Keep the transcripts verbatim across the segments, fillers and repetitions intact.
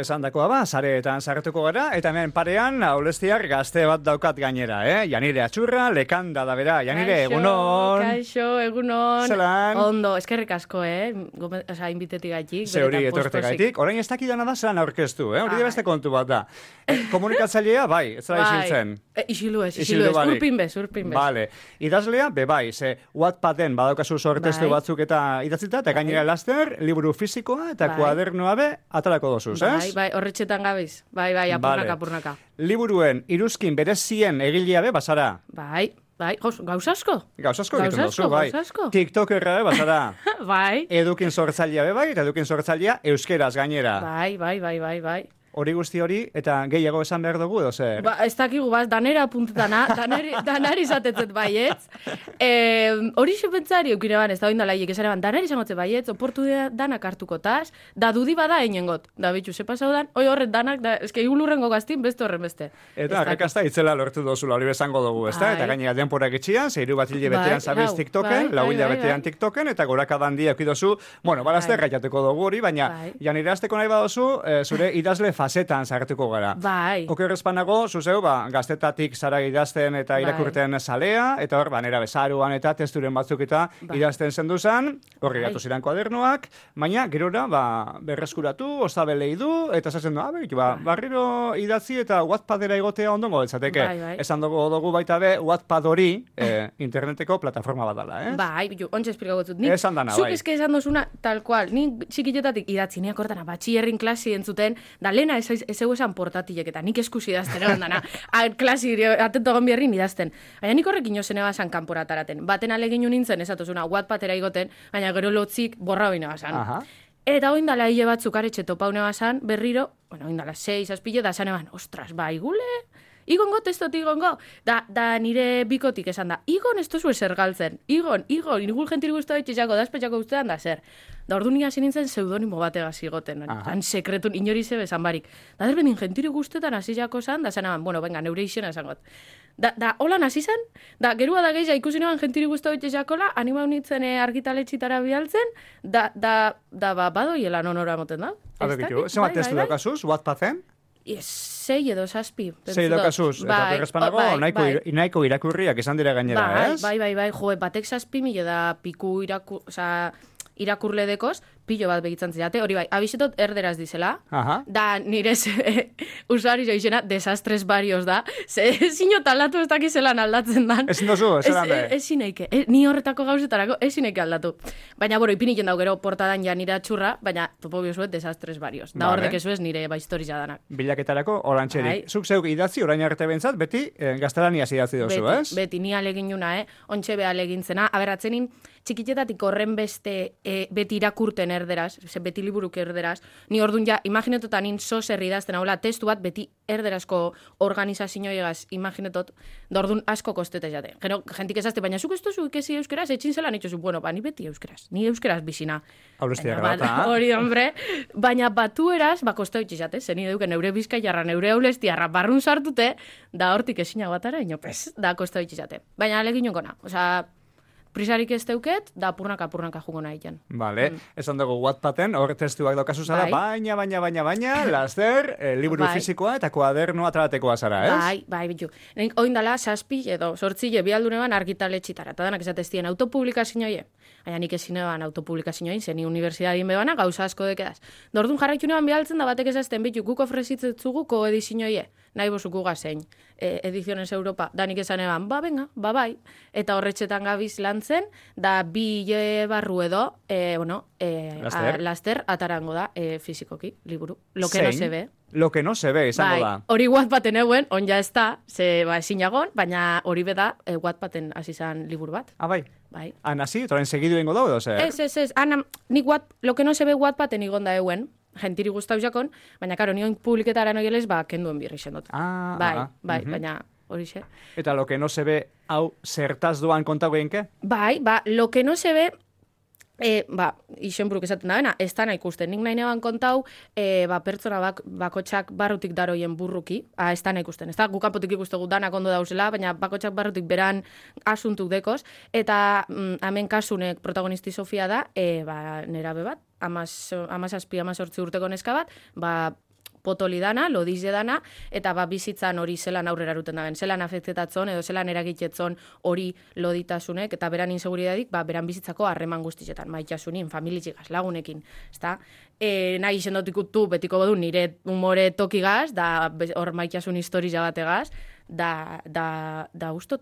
Esan dakoa ba, sareetan sartuko gara, eta hemen parean, aulestiar gazte bat daukat gainera, eh? Janire Atxurra, lekanda da bera. Janire, Kaixo, egunon. Kaixo, egunon. Zelan. Ondo, eskerrik asko, eh? Gome, oza, inbitetik gaitik. Zeuri etorte gaitik. Orain ez dakidana da zelan aurkeztu, eh? Hori beste kontu bat da. Eh, komunikatzailea, bai, ez da isiltzen. E, isilu ez, isilu ez, urpin bez, urpin bez. Vale. Idazlea, be bai, ze Wattpaden badaukazu sortestu bai. batzuk eta idatzita, eta gainera laster, liburu fisikoa eta bai. kuadernoa be, atalako dozuz, ez? Bai, bai, horretxetan gabiz. Bai, bai, apurnaka, vale. apurnaka. Liburuen iruzkin berezien egilea be, basara? Bai, bai, gauza asko. Gauza asko egiten dozu, bai. TikTokerra be, basara? Bai. Edukin sortzailea be, bai, eta edukin sortzailea euskeraz gainera. Bai, bai, bai, bai, bai. Hori guzti hori, eta gehiago esan behar dugu, edo zer? Ba, ez dakigu, baz, danera apuntetana, danari, danari izatetzet baietz. E, hori xupentzari eukire ban, ez da oindala hiek esare ban, danari izangotzet baietz, oportu danak hartuko taz, da dudi bada einengot. Da bitxu, ze pasau dan, oi horret danak, da, eske igulurrengo gaztin, beste horren beste. Eta arrakasta itzela lortu dozula, hori bezango dugu, ez da? Eta gainera denporak itxian, zeiru bat hile betean zabiz TikToken, lau hile betean TikToken, eta gorakadan dia eukidozu, bueno, balazte gaiateko dugu hori, baina janire azteko nahi badozu, zure idazle fasetan sartuko gara. Bai. Oker espanago, zuzeu, ba, gaztetatik zara idazten eta irakurten salea, eta hor, ba, nera bezaruan eta testuren batzuk eta bai. idazten zenduzan, horri gatu ziren kuadernoak, baina, gerora, ba, berreskuratu, ostabelei du, eta zazen du, abek, ba, barriro idatzi eta Wattpadera egotea ondongo beltzateke. Bai, bai. Esan dugu dugu baita be, Wattpad hori, eh, interneteko plataforma bat dela, eh? Bai, bitu, ontsa esplikagotzut. Esan dana, bai. Zuk eske esan dozuna, tal cual, ni txikitetatik idatzi, niak hortana, batxierrin klasi entzuten, da lena ez, ez egu esan portatilek eta nik eskusi idazten egon dana. Klasi, atento egon biherrin idazten. Baina nik horrek inozen ebasan kanpora ataraten. Baten alegin nintzen, esatozuna, Wattpadera igoten, baina gero lotzik borra hori nebasan. Aha. Eta oindala hile batzuk aretxe topa nebasan, berriro, bueno, oindala seis, azpilo, da zan eban, ostras, ba, igule, igongo testot, igongo. Da, da nire bikotik esan da, igon ez tozu eser galtzen, igon, igon, inigul jentiri guztu haitxetxako, dazpetxako guztean da zer. Da ordu nik hasi nintzen pseudonimo bategaz igoten, tan sekretun inori zebe esan barik. Da derbendin jentiri guztetan hasi jako zan, da zan eban, bueno, venga, neure izena esan got. Da, da holan hasi zen, da gerua da gehiago ikusi neban jentiri guztu haitxetxakola, anima unitzen eh, argitaletxitara bialtzen, da, da, da, ba, badoiela nonora moten da. Habe bitu, zenbat testu daukazuz, Wattpaden? Sei edo zazpi. Sei daukazuz, eta berrezpanago nahiko irakurriak esan dira gainera, ez? Bai, bai, bai, jo, batek zazpi mila da piku irakur, oza, irakurle dekoz, pilo bat begitzen zidate, hori bai, abisetot erderaz dizela, Aha. da nire usuari jo izena desastres barrios da, ze zino talatu ez dakizelan aldatzen dan. Ezin dozu, ezelan be? Ezin eike, ni horretako gauzetarako ezin eike aldatu. Baina, boro, ipiniken dau gero portadan ja nire Atxurra, baina topo biozuet desastres barrios. Da hor dekezu ez nire ba historia danak. Bilaketarako orantxerik. Zuk zeuk idatzi, orain arte bentzat, beti eh, gaztelaniaz idatzi dozu, beti, ez? Beti, ni alegin juna, eh? Ontxe be alegintzena. Aberratzenin, txikitetatik horren beste e, beti irakurten erderaz, ze beti liburuk erderaz, ni ordun ja, imaginetotan nin sozer idazten haula, testu bat beti erderazko organizazioegaz imaginetot, da ordun asko kostete jate. Gero, jentik ezazte, baina zuk ez tozu ikesi euskeraz, etxin zelan itxozu, bueno, ba, ni beti euskeraz, ni euskeraz bizina. Aurreztia gara, hori, hombre, baina batu eraz, ba, kosta itxizate, zen nire duke neure bizkaiarra, neure aulestiarra, barrun sartute, da hortik ezina batara, inopez, da kosta itxizate. Baina alegin jonkona, osea, prisarik ez teuket, da apurnaka apurnaka jugo nahi jan. Vale, mm. esan dugu Wattpaden, hor testuak daukazu zara, bai. baina, baina, baina, baina, laster, eh, liburu bai. fisikoa eta kuadernoa ataratekoa zara, ez? Bai, bai, bitu. Nik oindala, saspi edo, sortzile, bialduneban argitaletxitara, eta danak esateztien autopublikazioie. Baina nik ezin eban autopublikazioin, zeni universidadien bebana, gauza asko dekedaz. Dordun jarraitu neban bialtzen da batek esazten, bitu, guk ofrezitzetzugu koedizioie, nahi bozuku gazein, e, Ediziones Europa, da nik esan eban, ba, venga, ba, bai, eta horretxetan gabiz lantzen, da bi hile barru edo, e, bueno, e, laster. A, laster atarango da, e, fizikoki, liburu, lo que no se ve. Lo que no se ve, izango da. Hori Wattpaden euen, on ja ez da, ze ba, ezinagon, baina hori beda e, Wattpaden hasi zan liburu bat. Ah, bai? Bai. Han hasi, toren segidu ingo dago, edo zer? Ez, ez, ez, ana, nik wat, lo que no se ve Wattpaden igon da euen, gentiri guztau jakon, baina karo, nion publiketara noielez, ba, kenduen birri xendot. Ah, bai, ah, bai, uh-huh. baina hori xe. Eta lo que no se ve, hau, zertaz doan kontau genke? Bai, ba, lo que no se ve, E, ba, isenburuk esaten da bena, ez da nahi ikusten. Nik nahi neban kontau, e, ba, pertsona bak, bakotxak barrutik daroien burruki, a, ez da nahi ikusten. Ez da, gukapotik ikustegu danak ondo dauzela, baina bakotxak barrutik beran asuntuk dekoz, eta mm, hemen kasunek protagonisti Sofia da, e, ba, nerabe bat, amaz, amazazpi, amazortzi urteko neska bat, ba, potoli dana, lodize dana, eta ba, bizitzan hori zelan aurrera ruten daben, zelan afektetatzon, edo zelan eragitetzon hori loditasunek, eta beran inseguridadik, ba, beran bizitzako harreman guztietan, maitasunin, familitxigaz, lagunekin, ezta? E, nahi izendotik betiko bodu nire humore tokigaz, da hor maitasun historia bategaz, da, da, da ustot,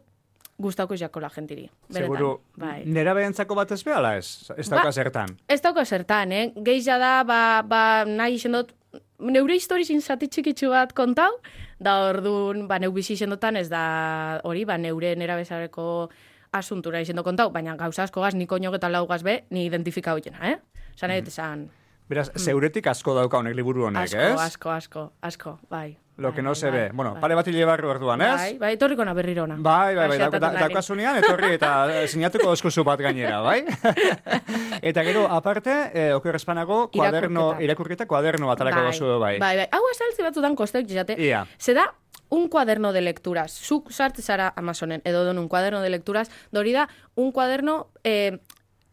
gustauko jako la gentiri. Beretan, seguru, bai. Nera behentzako bat ez behala ez? Ez dauka ba, zertan? Ez dauka zertan, eh? Geiza da, ba, ba nahi izendot, neure historizin zati txikitsu bat kontau, da orduan, ba, neu bizi izendotan ez da hori, ba, neure nera bezareko asuntura izendo kontau, baina gauza asko gaz, ni koño eta lau gaz be, ni identifika hoiena, eh? Zan egite zan... Beraz, zeuretik asko dauka honek liburu honek, asko, ez? Asko, asko, asko, bai. Lo que bai, no se bai, ve. Bueno, bai. pare bat hile barru orduan, ez? Bai, bai, etorriko na berriro ona. Bai, bai, bai, Asiatatu da, nari. daukasunean, etorri eta sinatuko eskuzu bat gainera, bai? Eta gero, aparte, eh, oker espanago, kuaderno, Irakurketa. irakurketa, kuaderno bat alako Bai, gozu, bai. bai, bai. Hau azaltzi batzutan kosteuk jate. Ia. Se da un cuaderno de lecturas. Zuk sartze zara Amazonen, edo don un cuaderno de lecturas, dori da un cuaderno eh,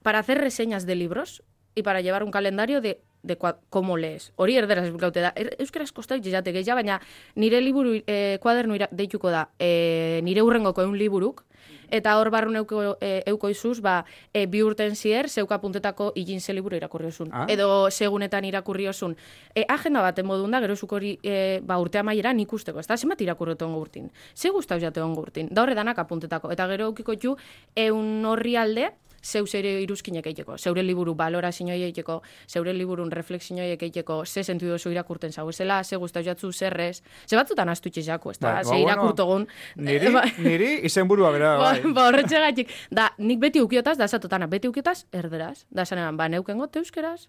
para hacer reseñas de libros y para llevar un calendario de de cómo lees. Hori erderaz gaute da. Er, Euskaraz kostak jizate gehiago, baina nire liburu, eh, kuadernu deituko da, eh, nire urrengoko eun liburuk, eta hor barrun euko, eh, euko izuz, ba, eh, bi urten zier, zeuka puntetako igin ze liburu irakurri osun. Ah. Edo segunetan irakurri osun. Eh, agenda baten modun da, gero zuk hori eh, ba, urte amaieran ikusteko, ez da? Zenbat irakurretu ongo urtin? Ze guztau jate ongo urtin? Da horre danak apuntetako. Eta gero eukiko ju, eun horri alde, zeu zeure iruzkinek eiteko, zeure liburu balorazioi eiteko, zeure liburun refleksioiek eiteko, ze sentu dozu irakurten zau ezela, ze guztau jatzu zerrez, ze batzutan astutxe jako, ez da, Ba, ze ba, bueno, irakurtogun. Niri, niri izenburua bera, Ba, bai. ba horretxegatik, da, nik beti ukiotaz, da zatotana, beti ukiotaz, erderaz, da zanean, ba, neukengo euskeraz,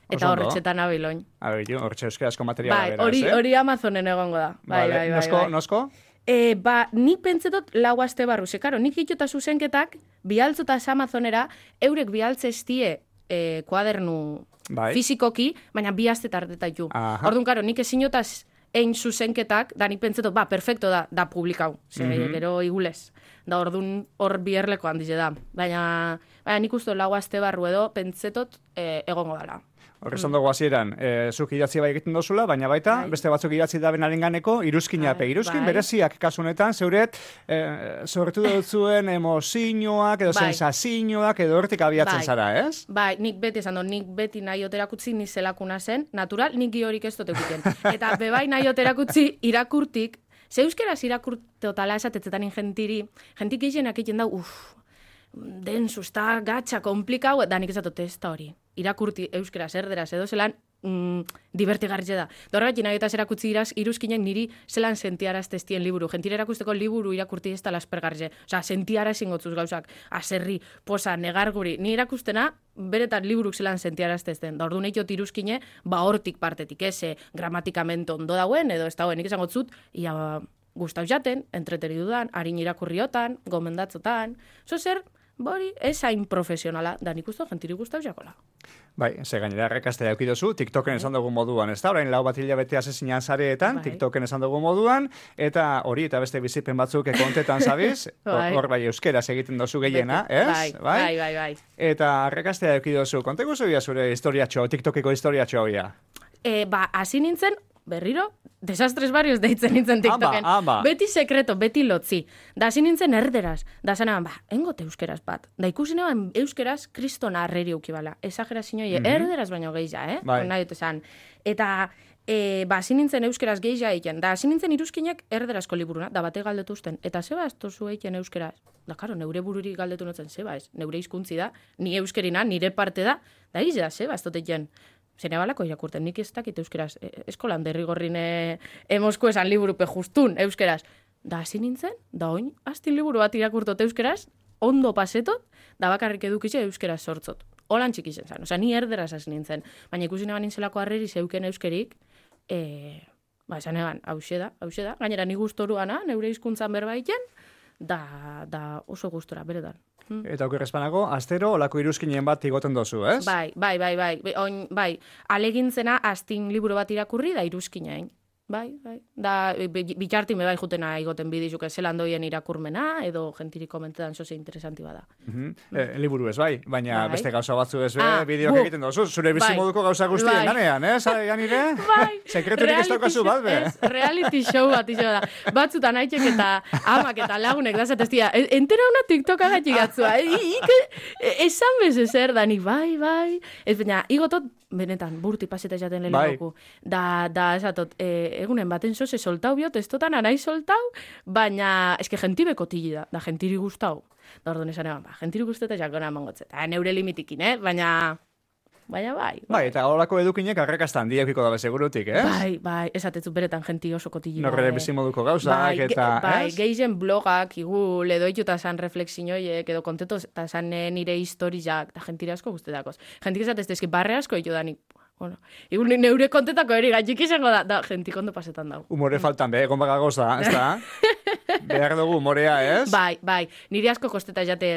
eta Oso ondo. horretxetan abiloin. A ber, jo, hortxe euskarazko materiala Bai, beraz, hori, eh? hori Amazonen egongo da. Bai, Vale, bai, bai, nosko, bai. nosko? E, ba, nik pentsetot lau aste barru, ze, karo, nik itxota zuzenketak, bialtzotaz Amazonera, eurek bialtze estie e, kuadernu Bai. fizikoki, baina bi aste tardetaitu. Aha. Orduan, karo, nik ezinotaz ein zuzenketak, da nik pentsetot, ba, perfecto da, da publikau, ze, Mhm. gero igulez. Da, orduan hor bierleko handize da. Baina, baina nik uste lau aste barru edo, pentsetot e, egongo dala. Horre esan dugu hasieran, e, zuk idatzi bai egiten dozula, baina baita, Bai. beste batzuk idatzi da benarenganeko, iruzkina Bai, pe. Iruzkin bai. bereziak kasunetan, zeuret, e, sortu dutzuen emozioak, edo Bai. sensazioak, edo hortik abiatzen Bai. zara, ez? Bai, nik beti esan dut, nik beti nahi oterakutzi ni zelakuna zen, natural, nik giorik ez dut egiten. Eta bebai nahi oterakutzi irakurtik, ze euskeraz irakurteotala esatetzetan ingentiri, jentik gehienak egiten da, uff, densu, ez da gatxa, komplikau, da nik esatot ez da hori. Irakurti euskeraz, erderaz, edo zelan, mm, divertigarritxe da. Da horregatik nahi eta erakutzi iraz, iruzkinek niri zelan sentiaraz testien liburu. Gentire erakusteko liburu irakurti ez da laspergarritxe. Osa, sentiaraz ingotzuz gauzak, aserri, posa, negarguri. Ni irakustena, beretan liburuk zelan sentiaraz testen. Da orduan eitot iruzkine, ba hortik partetik, ez, eh, gramatikamente ondo dauen, edo ez dauen, nik esango zut, ia gustau jaten, entreteri dudan, harin irakurriotan, gomendatzotan, zo zer, bori, ez hain profesionala, da nik usto, gentiri gustau jakola. Bai, ze gainera errekastea eukidozu, TikToken esan dugu moduan, ez da? Orain lau bat hilabete asezinan zareetan, Bai. TikToken esan dugu moduan, eta hori eta beste bizipen batzuk kontetan zabiz, Bai. hor bai euskeraz egiten dozu gehiena, ez? Bai, bai, bai, bai. Eta errekastea eukidozu, konte guzu bia zure historiatxo, TikTokeko historiatxo bia. E, ba, hasi nintzen, berriro, desastres barrios deitzen nintzen TikToken. Amba, amba. Beti sekreto, beti lotzi. Da hasi nintzen erderaz. Da zanean, ba, engote euskeraz bat. Da ikusi neban euskeraz kristona arreri ukibala. Exagerazioa, Mhm. erderaz baino gehiago, eh? Bai. Nahi dut esan. Eta, e, ba, hasi nintzen euskeraz gehiago egiten. Da hasi nintzen iruzkinek erderazko liburuna, da bate galdetu usten. Eta zeba ez tozu egiten euskeraz. Da, karo, neure bururi galdetu notzen, zeba ez. Neure hizkuntzi da, ni euskerina, nire parte da. Da, izia, zeba ez dut egiten. Zene balako irakurten, nik ez dakit euskeraz. E, eskolan derrigorrin e, emozko esan liburupe justun euskeraz. Da hasi nintzen, da oin, astin liburu bat irakurtot euskeraz, ondo pasetot, da bakarrik edukitxe euskeraz sortzot. Holan txikizen zan, osea, ni erderaz hasi nintzen. Baina ikusi neban nintzelako harreri zeuken euskerik, e, ba, esan eban, hause da, hause da. Gainera, ni gustoruana, neure hizkuntzan berbaiten, da, da oso gustora, beretan. Mm. Eta oker espanago, astero olako iruzkinen bat igoten dozu, ez? Bai, bai, bai, bai, Be- oin, bai, alegintzena astin liburu bat irakurri da iruzkinain. bai, bai. Da, bitxartin bai jutena igoten bidizuke zelan doien irakurmena, edo gentiri komentetan zoze interesanti bada. Mm-hmm. eh, liburu ez bai, baina bai. beste gauza batzu ez be, ah, bideoak egiten dozu, zure bizimoduko bai. Gauza guztien bai. Danean, eh? Zai, ganire? Bai. Sekreturik ez daukazu bat, be? Ez, reality show bat izo da. Batzutan haitxek eta amak eta lagunek da zateztia, entera una TikToka gatik gatzua. Esan bez ezer, dani, bai, bai. Ez baina, igotot, benetan, burti paseta jaten lehenako. Bai. Da, da, esatot, e, egunen baten zoze soltau biot, ez totan anai soltau, baina, eske gentibe kotili da, da gentiri gustau. Da orduan esan eban, ba, gentiri guztetan jakona mangotzet. Eta neure limitikin, eh? Baina, baina bai. Bai, bai eta horako edukinek arrakastan diakiko dabe segurutik, eh? Bai, bai, esatetzu beretan genti oso kotili da. Norre bizimoduko gauzak, bai, eta, bai, ez? geizen blogak, igul, edo ituta zan reflexioiek, edo konteto, eta zan nire historiak, da gentire asko guztetakoz. Gentik esatez, eski barre asko ito danik, bueno, igun neure kontetako eri gaitxik izango da, da, gentik ondo pasetan dago. Humore faltan, be, egon baga goza, ez da? Behar dugu humorea, ez? Bai, bai, nire asko kosteta jate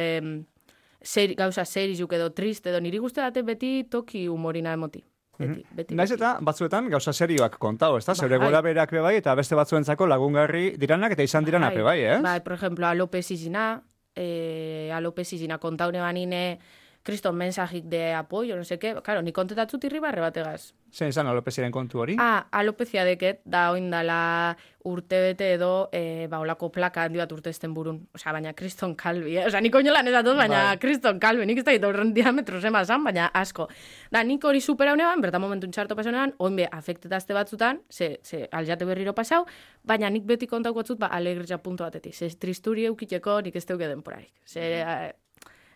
ser, gauza serizuk edo triste, edo niri guzti date beti toki humorina emoti. Beti, beti, Naiz eta batzuetan gauza serioak kontau, ez da? Ba, zeure gora berak be bai, eta beste batzuentzako lagungarri diranak eta izan diranak be bai, ez? Bai, por ejemplo, Alope Zizina, eh, Alope Zizina kontaune banine, kriston mensajik de apoio, no seke, claro, ni kontetatzu tirri barre bategaz. Zein izan alopeziaren kontu hori? Ah, alopezia deket, da oindala urte bete edo, e, ba, olako plaka handi bat urte esten burun. Osea, baina kriston kalbi, eh? Osea, nik oinolan ez dut, baina bai. Kriston kalbi, nik ez da horren diametro zema zan, baina asko. Da, nik hori supera honean, bertan momentu txarto pasa honean, oinbe afektetazte batzutan, ze, ze aljate berriro pasau, baina nik beti kontauko batzut, ba, alegritza puntu batetik. Ze tristuri eukiteko nik ez teuke denporarik. Ze,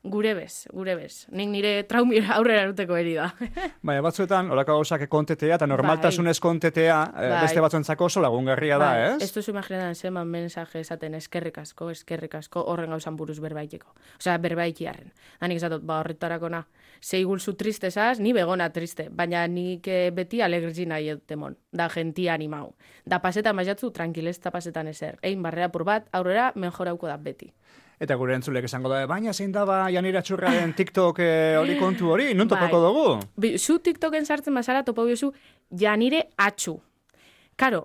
gure bez, gure bez. Nik nire traumira aurrera eruteko eri da. Baina batzuetan, olako gauzak kontetea, eta normaltasunez kontetea, bai. Beste batzuentzako oso lagungarria bai. Da, ez? Ez duzu imaginetan zeman mensaje esaten eskerrik asko, eskerrik asko, horren gauzan buruz berbaiteko. Osea, berbaikiarren. Hanik esatot, ba, horretarako na. Zeigulzu tristezaz, ni begona triste, baina nik beti alegrizi nahi edtemon. Da, gentia animau. Da, pasetan maizatzu, tranquilesta pasetan ezer. Ein barrea pur bat, aurrera, mejorauko da beti. Eta gure entzulek esango da, baina zein daba Janira Txurraren TikTok hori eh, kontu hori, non topako bai. Dugu? Zu TikToken sartzen bazara topo biozu Janire Atxu. Karo,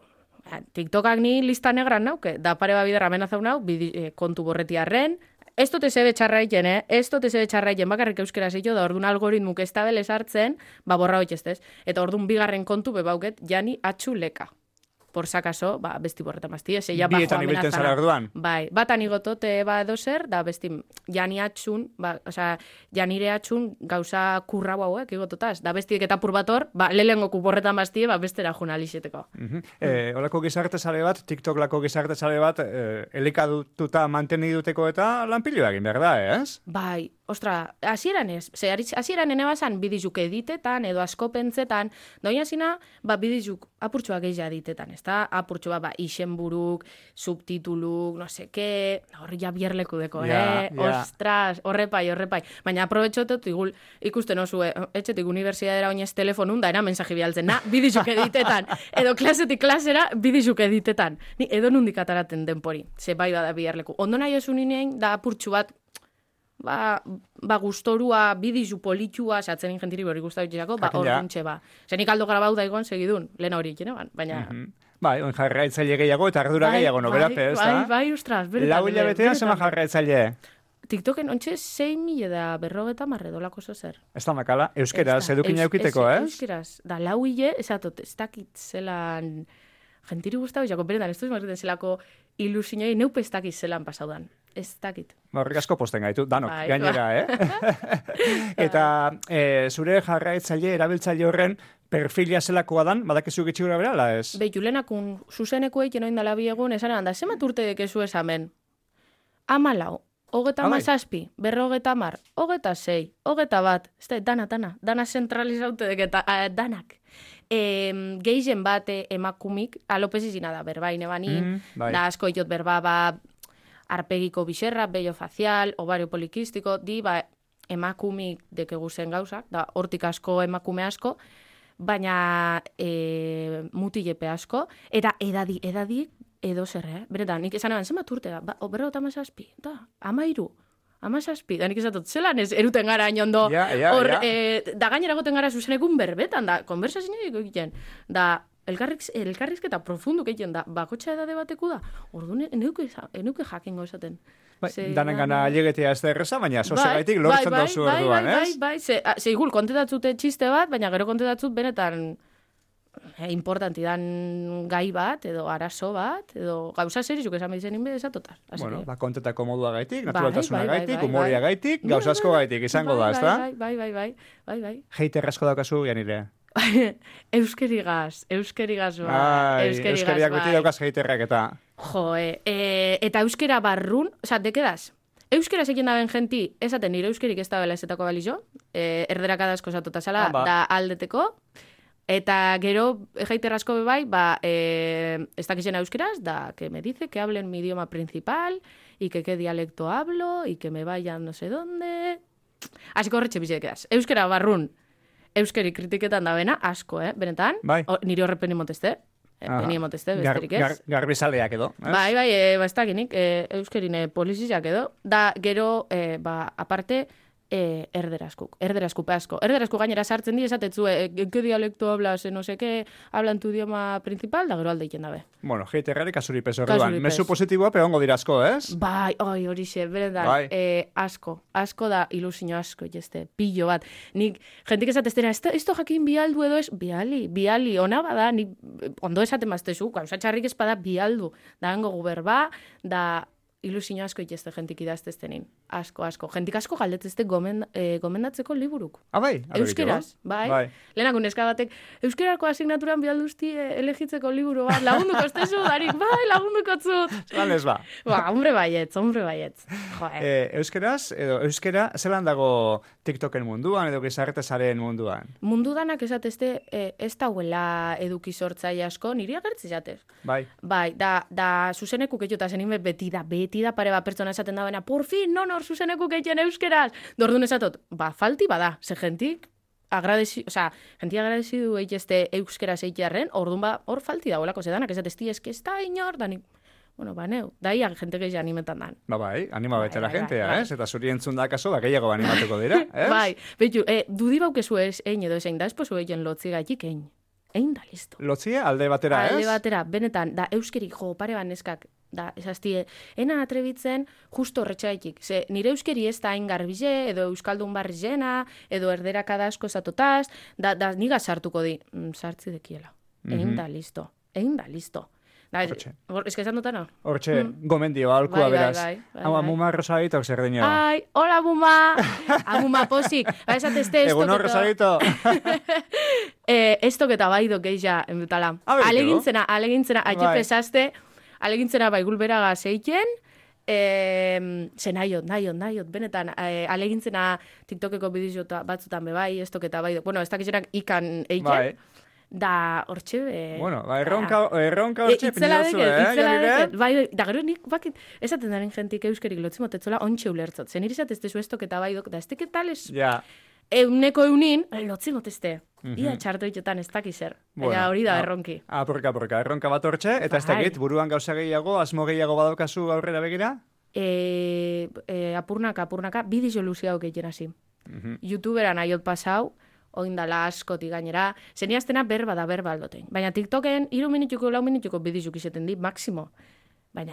TikTokak ni lista negran nauke, da pare babiderra amenazau nau, bidi, eh, kontu borretiarren, ez dote zebe txarraiten, eh? Ez dote zebe txarraiten, bakarrik euskera zeito, da orduan algoritmuk ez tabele sartzen, ba borra hoitzestez. Eta orduan bigarren kontu bebauket Jani Atxu leka. Por sakaso, ba, besti borreta mazti, ez ella bajo amenazana. Bietan ibilten zara orduan. Bai, batan igotot, ba, edo zer, da besti Jani Atxun, ba, osea, Janire Atxun gauza kurra hauek igototaz. Da besti eta purbator, ba, lehengo kuporreta mazti, ba, bestera junalixeteko. Uh-huh. eh, olako gizarte sare bat, TikTok lako gizarte sare bat, eh, elikadututa manteni duteko eta lanpilo egin behar da, ez? Bai, ostra, hasieran ez, ze hasieran ene bazan bidizuk editetan, edo asko pentsetan, doina zina, ba, bidizuk apurtxoak egia editetan, ez da, apurtxoa, ba, izenburuk, subtituluk, no seke, horri ja bierleku deko, yeah, eh? Yeah. Ostras, horrepai, horrepai. Baina aprobetxotot, igul, ikusten osu, eh? Etxetik unibertsiadera oinez telefonun, da, era mensaje bialtzen, na, bidizuk editetan, edo klasetik klasera, bidizuk editetan. Ni edo nundik ataraten denpori, ze bai bada bierleku. Ondo nahi osu ninein, da apurtxu bat, ba, ba gustorua, bidizu politxua, satzen ingentiri hori guztabitxako, ba, hor duntxe, ba. Zenik aldo gara bauda egon segidun, lehen hori ikene, baina... Mm-hmm. Bai, on jarraitzaile gehiago eta ardura bai, gehiago, no, bai, berape, ez da? Bai, bai, ustraz, beretan. Lau hilabetea zema jarraitzaile? TikToken ontxe sei mila da berrogeta marre dolako zer. Ez da makala, euskeraz, edukina eukiteko, ez? Euskeraz, da lau hile, esatot, ez dakit zelan... Gentiri guztabitxako, beretan, ez duz marreten zelako ilusinoi, neupe ez dakit zelan pasaudan. Ez dakit. Horrik asko posten gaitu, danok, bai, gainera, bai. eh? Eta e, zure jarraitzaile, erabiltzaile horren perfila zelakoa dan, badakizu gitxi gura berala, ez? Behitu, lehenakun, zuzeneko eiken oindala biegun, esan egan da, zemat urte dekezu esamen? Amalau, hogeta mazazpi, berrogeta mar, hogeta sei, hogeta bat, ez da, dana, dana, dana zentralizaute deketa, uh, danak. E, geizen bat emakumik, alopezizina da, berbaine banin, mm, bai. Da asko iot berba, ba, arpegiko biserra, bello facial, ovario polikistiko, di, ba, emakumik dekegu zen gauzak, da, hortik asko emakume asko, baina e, mutilepe asko, eta edadi, edadi, edo zer, eh? Beretan, nik esan eban, zemat urte da, ba, berro eta amazazpi, da, amairu, amazazpi, da nik esatot, zelan ez eruten gara inondo, ja, ja, hor, ja. E, da gainera goten gara zuzenekun berbetan, da, konversazioa egiten, da, elkarriz, elkarrizketa profundu egiten da, bakotxa edade bateku da, orduan eneuke, eneuke jakingo esaten. Bai, danen gana alegetea ez da erreza, baina sozegaitik bai, lortzen bai, dozu bai, orduan, bai, ez? Bai, bai, ze, a, ze igul, kontetatzute txiste bat, baina gero kontetatzut benetan eh, importanti dan gai bat, edo arazo bat, edo gauza serizuk esan behizen inbe, esatotar. Bueno, ba, kontetako modua gaitik, Bai, naturaltasuna bai, bai, gaitik, bai, humoria bai. gaitik, Bai, gauza asko bai, gaitik, izango da, bai, ez da? Bai, bai, bai, bai, bai, bai. Heiter asko daukazu, Janire. Euskerigaz, euskerigaz bai, Ai, euskerigaz euskeriak bai. beti daukaz heiterrak eta... Jo, e, e, eta euskera barrun, oza, dekedaz, euskera zekin daben genti, esaten nire euskerik ez da bela ezetako balizo, e, erderakada asko zatota zala, Ah, ba. da aldeteko, eta gero, jaiterrazko bebai, ba, e, ez dakizena euskeraz, da, que me dice que hablen mi idioma principal, y que qué dialecto hablo, y que me vayan no sé dónde... Asiko horretxe bizekedaz. Euskera barrun, euskeri kritiketan da bena, asko, eh, benetan, Bai. o, nire horre peni motezte, eh, peni motezte, Gar, besterik ez. gar, garbizaleak edo, ez? Bai, bai, e, ba, ez dakinik, e, euskerine polizizak edo, da gero, e, ba, aparte, e, erderazkuk, erderazkupe asko. Erderazku gainera sartzen di, esatetzu, e, ¿qué dialecto hablas, no sé qué, hablan tu idioma principal, da gero alde iken dabe. Bueno, heiterrari kasuripez orduan. Kasuripez. Mezu positiboa peongo dirazko, ez? Bai, oi, hori xe, beretan, Bai. e, asko, asko da ilusio asko, jeste, pillo bat. Nik, jentik esatestera, esto, esto jakin bialdu edo ez, biali, biali, ona bada, nik ondo esaten maztezu, gauza txarrik ez bada bialdu, da hango guberba, da ilusio asko itezte jentik idazteztenin. Asko, asko. Jentik asko galdetzezte gomen, e, gomendatzeko liburuk. Ah, bai? A ver, Euskeraz, jo? bai. Bai. Lehenako neska batek, euskerako asignaturan bialduzti e, elegitzeko liburu bat, lagunduko estezu, darik, bai, lagunduko zut. Zelan ez ba? Ba, hombre baietz, hombre baietz. Jo, eh. E, euskeraz, edo euskera, zelan dago TikToken munduan, edo gizarretezaren munduan? Mundu danak esatezte e, ez dauela eduki sortzai asko, niri agertzi jatez. Bai. Bai, da, da zuzenekuk etxota zenin beti da, beti da pare bat pertsona esaten da bena, por fin, non hor zuzenekuk etxen euskeraz. Dordun esatot, ba, falti bada, ze gentik, agradezi, o sea, gentik agradezidu eitezte euskeraz eitearren, ordun ba, hor falti da, olako zedanak, esatezti, eski ez da inor, danik, bueno, ba, neu, daia gente gehi animetan dan. Ba, bai, anima Bai, bete la bai, gentea, bai, ez? Eta zuri entzun da kaso, ba, gehiago animatuko dira, ez? Bai, behitu, e, dudi baukezu ez, ein edo ezein, da espozu egin lotzi gaitik ein. Ein da, listo. Lotzia, alde batera, ez? Alde batera, benetan, da euskerik jo, pare ban neskak, da, esaztie, ena atrebitzen justo horretxaitik. Ze, nire euskeri ez da hain garbize, edo euskaldun barri jena, edo erderakada asko zatotaz, da, da niga sartuko di, mm, sartzi dekiela. Egin Mhm. da, listo. Egin da, listo. Da, ez, Hortxe. hor- eske esan dutana? Hortxe, gomendio, alkua Bai, bai, beraz. bai, bai, Hau, bai. amuma rosaritok zer dino. Ai, hola, buma! Amuma posik. Ba, esatezte esto. Egun hor, rosarito. Eh, esto que tabaido geisha enbutala. A ver, Alegintzena, alegintzena, Bai. aio pesazte, alegintzena baigul beraga zeiken, eh, ze naiot, naiot, naiot, benetan, eh, alegintzena TikTokeko bideoa batzutan bebai, esto que tabaido. Bueno, ez dakitzenak ikan eiken. Bai. Da, hortxe, be... Bueno, ba, erronka, erronka E, hortxe itzela pinitzu, deket, eh, itzela Janire? deket. Bai, bai, da gero nik bakit, esaten daren jentik euskerik lotzimotetzola ontxe ulertzot. Zen irizatezte zu estok eta bai dok, da ez teketales Ja. euneko eunin, lotzimotezte. Mhm. Ia txarto itetan ez dakiz zer. Bueno, Baina hori da a- erronki. Apurka, apurka, erronka bat hortxe, eta ez Bai. dakit, buruan gauza gehiago, asmo gehiago badaukazu aurrera begira? E, e, apurnaka, apurnaka, bidizo luziago egiten hasi. Mhm. YouTuberan aiot pasau, oindala askoti gainera, zeniaztena berba da berba aldoten. Baina TikToken, iru minutuko, lau minutuko bidizuk izeten di, maksimo. Baina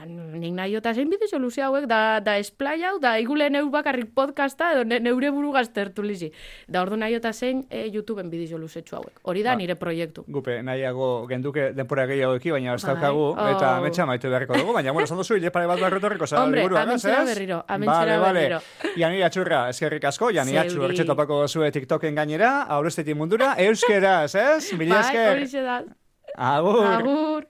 nik nahi eta zein bidizo luze hauek, da, da esplai hau, da igule neu bakarrik podcasta, edo ne, neure buru gaztertu lizi. Da ordu nahi eta zein e, YouTubeen bidizo luzetxu hauek. Hori da Ba. nire proiektu. Gupe, nahiago genduke denpora gehiago eki, baina ez Bai. daukagu, eta Oh. metxa maitu beharko dugu, baina, bueno, esan duzu, hile pare bat barretorriko zara Hombre, liburua, amentzera ez? berriro, amentzera Vale, vale. berriro. Jani atxurra, eskerrik asko, Jani atxur, Zeuri. hortxe topako zue TikToken gainera, aurreztetik mundura, euskeraz, ez? Mila Bai, esker. hori da. Agur. Agur.